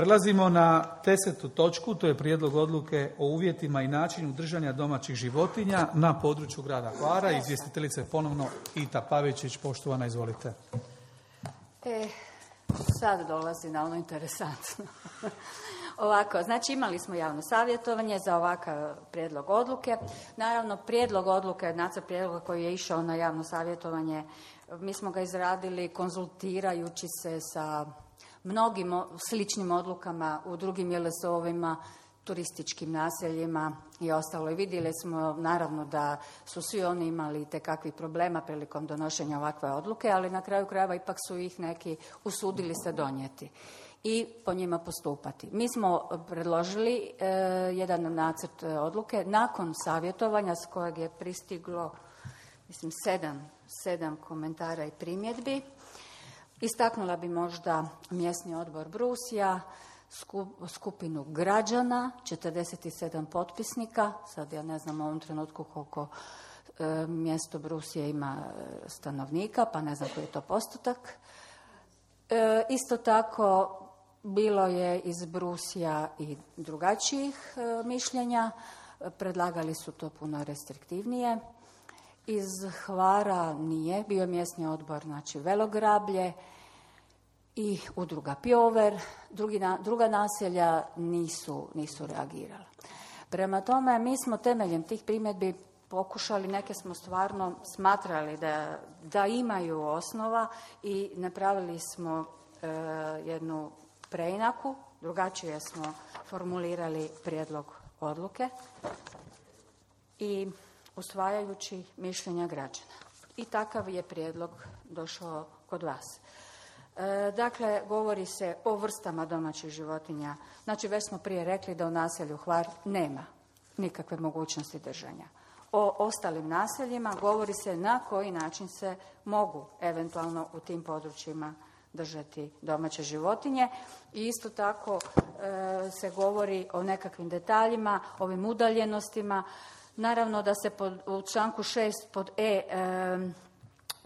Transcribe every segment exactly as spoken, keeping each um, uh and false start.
Prelazimo na desetu točku, to je prijedlog odluke o uvjetima i načinu držanja domaćih životinja na području grada Hvara. Izvjestiteljica je ponovno Ita Pavičić. Poštovana, izvolite. E, sad dolazi na ono interesantno. Ovako, znači imali smo javno savjetovanje za ovakav prijedlog odluke. Naravno, prijedlog odluke, nacrt prijedloga koji je išao na javno savjetovanje, mi smo ga izradili konzultirajući se sa mnogim sličnim odlukama u drugim J L S O-ovima, turističkim naseljima i ostalo. I vidjeli smo naravno da su svi oni imali itekakvih problema prilikom donošenja ovakve odluke, ali na kraju krajeva ipak su ih neki usudili se donijeti i po njima postupati. Mi smo predložili e, jedan nacrt odluke nakon savjetovanja s kojeg je pristiglo mislim sedam, sedam komentara i primjedbi. Istaknula bi možda mjesni odbor Brusija, skupinu građana, četrdeset sedam potpisnika, sad ja ne znam u ovom trenutku koliko e, mjesto Brusije ima stanovnika, pa ne znam koji je to postotak. E, isto tako bilo je iz Brusija i drugačijih e, mišljenja, predlagali su to puno restriktivnije. Iz Hvara nije, bio mjesni odbor, znači Velograblje i udruga Pjover, drugi na, druga naselja nisu, nisu reagirala. Prema tome, mi smo temeljem tih primjedbi pokušali, neke smo stvarno smatrali da, da imaju osnova i napravili smo e, jednu preinaku, drugačije smo formulirali prijedlog odluke i usvajajući mišljenja građana. I takav je prijedlog došao kod vas. E, dakle, govori se o vrstama domaćih životinja. Znači, već smo prije rekli da u naselju Hvar nema nikakve mogućnosti držanja. O ostalim naseljima govori se na koji način se mogu eventualno u tim područjima držati domaće životinje. I isto tako e, se govori o nekakvim detaljima, ovim udaljenostima. Naravno da se pod, u članku šest pod E, e,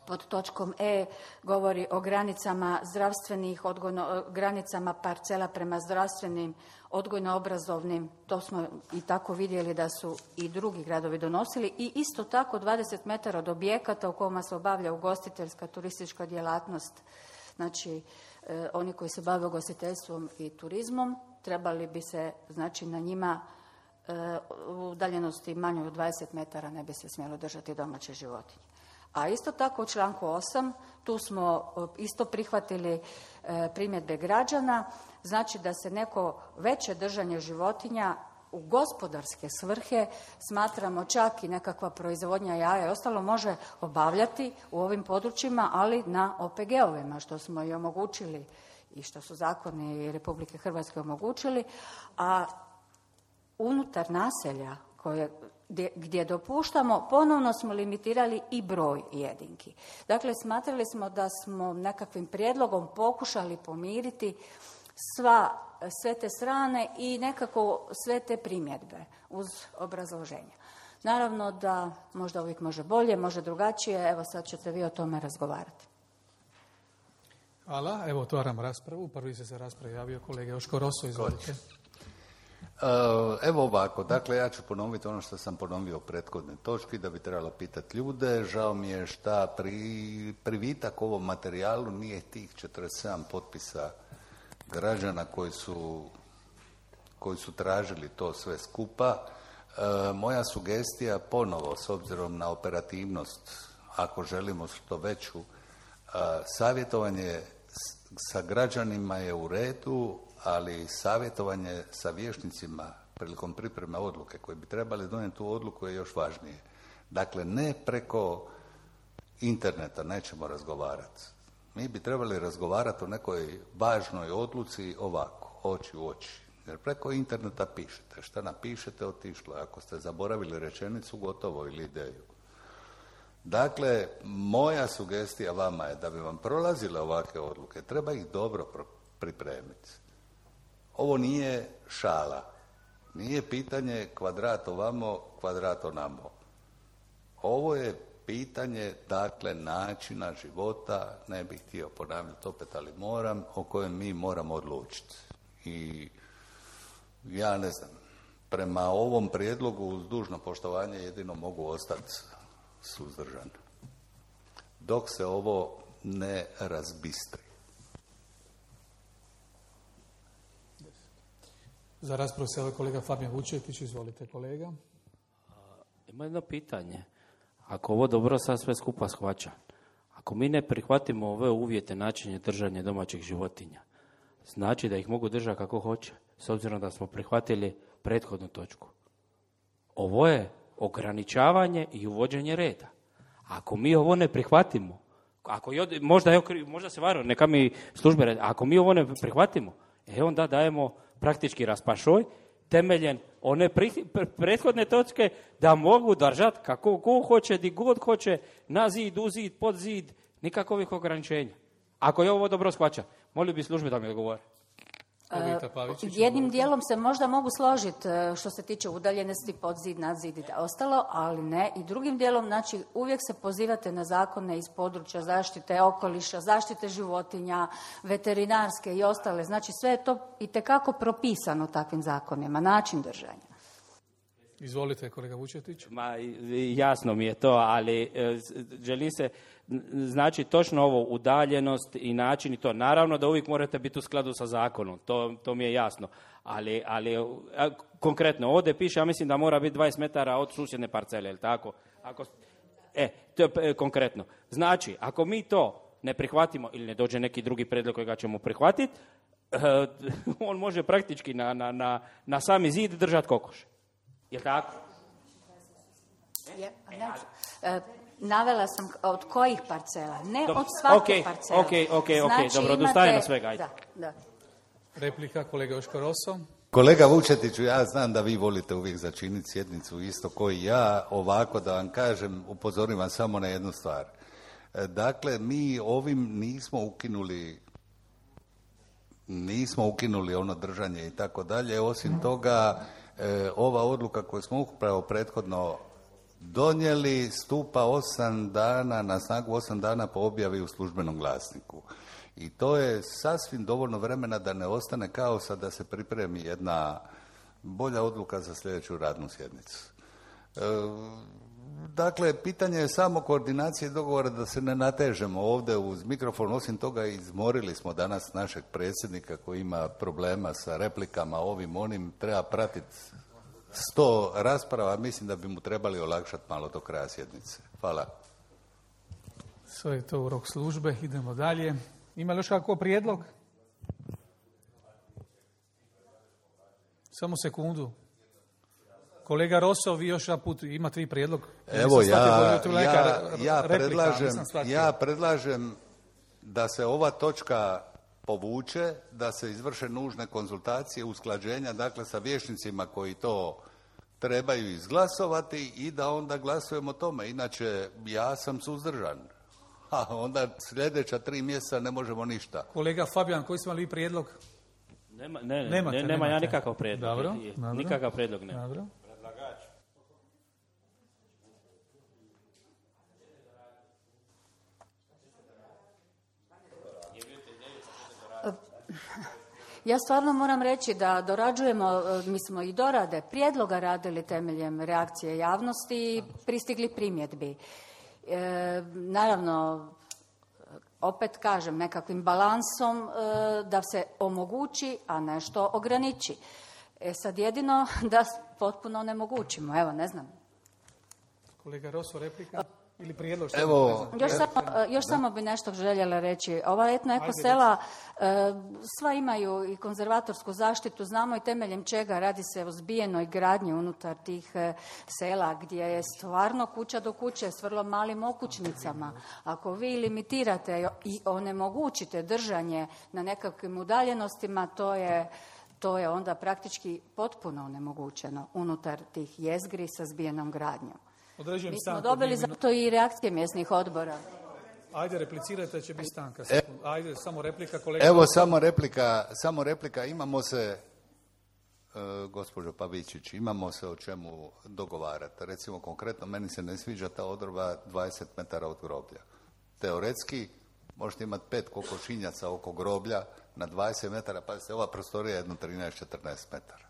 pod točkom E govori o granicama zdravstvenih, odgojno, granicama parcela prema zdravstvenim, odgojno-obrazovnim. To smo i tako vidjeli da su i drugi gradovi donosili. I isto tako dvadeset metara od objekata u kojima se obavlja ugostiteljska turistička djelatnost. Znači, e, oni koji se bave ugostiteljstvom i turizmom trebali bi se, znači, na njima u udaljenosti manjoj od dvadeset metara ne bi se smjelo držati domaće životinje. A isto tako u članku osam, tu smo isto prihvatili primjedbe građana, znači da se neko veće držanje životinja u gospodarske svrhe, smatramo čak i nekakva proizvodnja jaja i ostalo, može obavljati u ovim područjima, ali na O P G-ovima, što smo i omogućili i što su zakoni Republike Hrvatske omogućili, a unutar naselja koje, gdje, gdje dopuštamo, ponovno smo limitirali i broj jedinki. Dakle, smatrali smo da smo nekakvim prijedlogom pokušali pomiriti sva, sve te strane i nekako sve te primjedbe uz obrazloženja. Naravno da možda uvijek može bolje, može drugačije, evo sad ćete vi o tome razgovarati. Hvala, evo otvaram raspravu. Prvi se za raspravu javio kolega Joško Roso, izvolite. Evo ovako, dakle ja ću ponoviti ono što sam ponovio u prethodnoj točki, da bi trebalo pitati ljude. Žao mi je šta pri, privitak ovom materijalu nije tih četrdeset sedam potpisa građana koji su, koji su tražili to sve skupa. E, moja sugestija ponovo, s obzirom na operativnost, ako želimo što veću, a, savjetovanje sa građanima je u redu, ali savjetovanje sa vijećnicima prilikom pripreme odluke koji bi trebali donijeti tu odluku je još važnije. Dakle, ne preko interneta nećemo razgovarati. Mi bi trebali razgovarati o nekoj važnoj odluci ovako, oči u oči. Jer preko interneta pišete. Šta napišete, otišlo. Ako ste zaboravili rečenicu, gotovo, ili ideju. Dakle, moja sugestija vama je da bi vam prolazile ovakve odluke, treba ih dobro pripremiti. Ovo nije šala. Nije pitanje kvadrat ovamo, kvadrat onamo. Ovo je pitanje, dakle, načina života, ne bih htio ponavljati opet, ali moram, o kojem mi moramo odlučiti. I ja ne znam, prema ovom prijedlogu uz dužno poštovanje jedino mogu ostati suzdržan. Dok se ovo ne razbistri. Za raspravu se ovaj kolega Fabijan Vučetić, izvolite kolega. Ima jedno pitanje. Ako ovo dobro sad sve skupa shvaća, ako mi ne prihvatimo ove uvjete načinje držanja domaćih životinja, znači da ih mogu držati kako hoće, s obzirom da smo prihvatili prethodnu točku. Ovo je ograničavanje i uvođenje reda. Ako mi ovo ne prihvatimo, ako jod, možda, je, možda se varam, neka mi službe reda, ako mi ovo ne prihvatimo, e onda dajemo praktički raspašoj temeljen one pri, pre, prethodne točke da mogu držati kako ko hoće, di god hoće, na zid, u zid, pod zid, nikakvih ograničenja. Ako je ovo dobro shvaća, molio bi službe da mi odgovore. Jednim dijelom se možda mogu složiti što se tiče udaljenosti pod zid, nad zid i ostalo, ali ne. I drugim dijelom, znači, uvijek se pozivate na zakone iz područja zaštite okoliša, zaštite životinja, veterinarske i ostale. Znači, sve je to itekako propisano takvim zakonima, način držanja. Izvolite, kolega Vučetić. Ma, jasno mi je to, ali e, želim se, znači točno ovo, udaljenost i način i to. Naravno da uvijek morate biti u skladu sa zakonom, to, to mi je jasno. Ali, ali a, konkretno, ovdje piše, ja mislim da mora biti dvadeset metara od susjedne parcele, jel tako? Ako, e, to je e, konkretno. Znači, ako mi to ne prihvatimo ili ne dođe neki drugi prijedlog kojega ćemo prihvatiti, e, on može praktički na, na, na, na sami zid držati kokoš. Je tako? Je, znači, e, navela sam od kojih parcela, ne dobro, od svake okay, parcela. Ok, ok, ok, znači, dobro, odustajemo svega. Ajde. Da, da. Replika, kolega Joško Roso. Kolega Vučetiću, ja znam da vi volite uvijek začiniti sjednicu isto koji ja, ovako da vam kažem, upozorim vam samo na jednu stvar. Dakle, mi ovim nismo ukinuli nismo ukinuli ono držanje i tako dalje, osim toga e, ova odluka koju smo upravo prethodno donijeli stupa osam dana, na snagu osam dana po objavi u službenom glasniku. I to je sasvim dovoljno vremena da ne ostane kaosa, da se pripremi jedna bolja odluka za sljedeću radnu sjednicu. E, dakle, pitanje je samo koordinacije i dogovora da se ne natežemo ovdje uz mikrofon. Osim toga, izmorili smo danas našeg predsjednika koji ima problema sa replikama, ovim, onim, treba pratiti sto rasprava, mislim da bi mu trebali olakšati malo do kraja sjednice. Hvala. Sve je to u rok službe, idemo dalje. Ima li još kako prijedlog? Samo sekundu. Kolega Roso, vi još jedan put ima tri prijedlog. Evo ja, ja, ja, predlažem, ja predlažem da se ova točka povuče, da se izvrše nužne konzultacije, usklađenja, dakle sa vijećnicima koji to trebaju izglasovati i da onda glasujemo o tome. Inače, ja sam suzdržan. A onda sljedeća tri mjeseca ne možemo ništa. Kolega Fabijan, koji smo li prijedlog? Nema, ne, ne, nemate, ne, nema nemate. Ja nikakav prijedlog. Dobro, dobro. Nikakav prijedlog nema. Dobro. Predlagač. Ja stvarno moram reći da dorađujemo, mi smo i dorade prijedloga radili temeljem reakcije javnosti i pristigli primjedbi. E, naravno, opet kažem, nekakvim balansom e, da se omogući, a nešto ograniči. E sad jedino da potpuno onemogućimo, evo, ne znam. Kolega Roso, replika ili prijedlog? Evo, još samo, još samo bi nešto željela reći. Ova etno-eko sela e, sva imaju i konzervatorsku zaštitu, znamo i temeljem čega radi se o zbijenoj gradnji unutar tih e, sela gdje je stvarno kuća do kuće s vrlo malim okućnicama. Ako vi limitirate i onemogućite držanje na nekakvim udaljenostima, to je to je onda praktički potpuno onemogućeno unutar tih jezgri sa zbijenom gradnjom. Određujem Mi smo stanku, dobili zato i reakcije mjesnih odbora. Ajde, replicirajte, će biti stanka. Ajde, samo replika, kolega. Evo, samo replika, samo replika. Imamo se, e, gospođo Pavičić, imamo se o čemu dogovarati. Recimo, konkretno, meni se ne sviđa ta odredba dvadeset metara od groblja. Teoretski, Možete imati pet kokošinjaca oko groblja na dvadeset metara, pa se ova prostorija jedno trinaest četrnaest metara.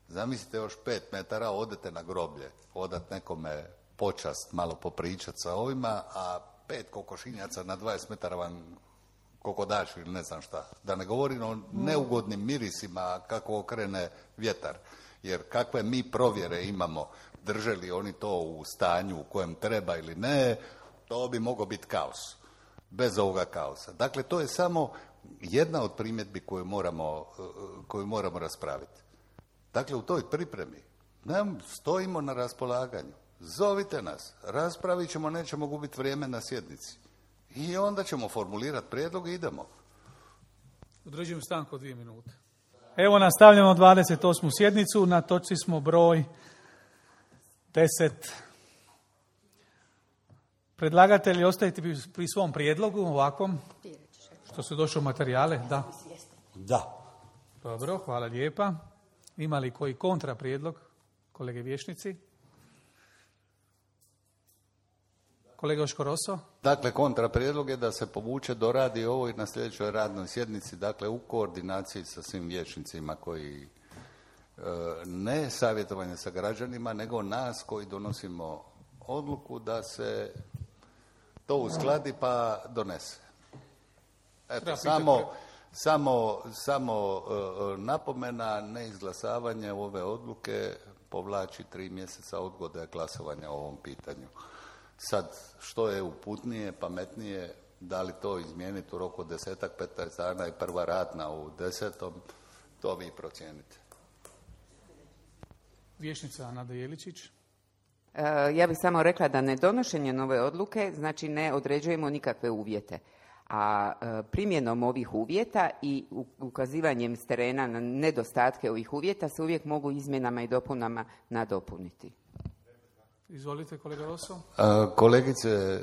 Zamislite još pet metara, odete na groblje, odat nekome počast, malo popričat sa ovima, a pet kokošinjaca na dvadeset metara vam kokodaš ili ne znam šta. Da ne govorim o neugodnim mirisima kako okrene vjetar. Jer kakve mi provjere imamo, drže li oni to u stanju u kojem treba ili ne, to bi mogao biti kaos. Bez ovoga kaosa. Dakle, to je samo jedna od primjedbi koju moramo, koju moramo raspraviti. Dakle, u toj pripremi nam stojimo na raspolaganju. Zovite nas, raspravit ćemo, nećemo gubiti vrijeme na sjednici. I onda ćemo formulirati prijedlog i idemo. Određujem stanku od dvije minute. Evo nastavljamo dvadeset osmu sjednicu, na točci smo broj deset. Predlagatelji, ostajete pri svom prijedlogu ovakvom, što su došli u materijale? Da. Da. Dobro, hvala lijepa. Ima li koji kontra prijedlog, kolege vijećnici? Kolega Oškoroso? Dakle, kontra prijedlog je da se povuče, doradi ovo i na sljedećoj radnoj sjednici, dakle u koordinaciji sa svim vijećnicima koji e, ne savjetovanje sa građanima, nego nas koji donosimo odluku da se to uskladi pa donese. Eto, samo, samo, samo uh, napomena, neizglasavanje ove odluke povlači tri mjeseca odgode glasovanja o ovom pitanju. Sad, što je uputnije, pametnije, da li to izmijeniti u roku desetak, petnaest dana i prva radna u desetom, to vi procijenite. Vijećnica Nada Jeličić. Ja bih samo rekla da nedonošenje nove odluke znači ne određujemo nikakve uvjete. A primjenom ovih uvjeta i ukazivanjem s terena na nedostatke ovih uvjeta se uvijek mogu izmjenama i dopunama nadopuniti. Izvolite, kolega Roso. Kolegice,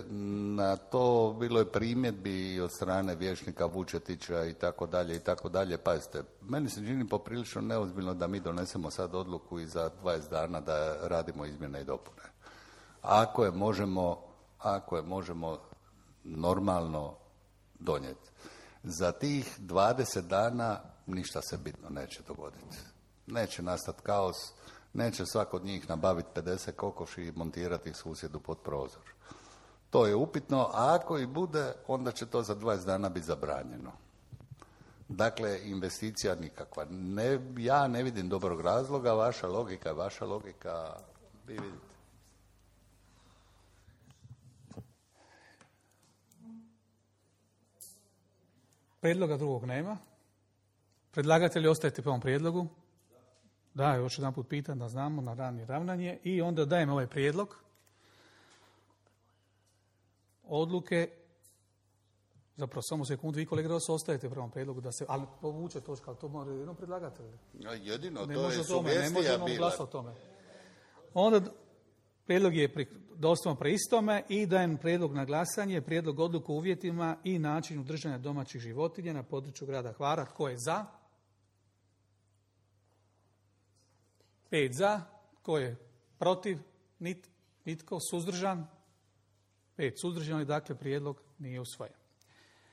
na to bilo je primjedbi od strane vijećnika Vučetića i tako dalje i tako dalje. Pazite, meni se čini poprilično neozbiljno da mi donesemo sad odluku i za dvadeset dana da radimo izmjene i dopune. Ako je možemo, ako je možemo normalno donijeti. Za tih dvadeset dana ništa se bitno neće dogoditi. Neće nastati kaos. Neće svak od njih nabaviti pedeset kokoši i montirati ih susjedu pod prozor. To je upitno, a ako i bude, onda će to za dvadeset dana biti zabranjeno. Dakle, investicija nikakva. Ne, ja ne vidim dobrog razloga, vaša logika je vaša logika, vi vidite. Prijedloga drugog nema. Predlagatelji, ostajete po ovom prijedlogu? Da, još jedan put pitam da znamo na rani ravnanje i onda dajem ovaj prijedlog odluke, zapravo samo sekundu, vi kolega Roso ostajete prvom prijedlogu da se, ali povuče točka, ali to mora jedino predlagatelj. Jedino, ne to je sugestija bila. Ne možemo glasati o tome. Onda prijedlog je dostavno pre istome i dajem prijedlog na glasanje, prijedlog odluku o uvjetima i načinu držanja domaćih životinja na području grada Hvara. Tko je za? Pet za. Tko je protiv? Nit, nitko. Suzdržan? Pet suzdržani, dakle prijedlog nije usvojen.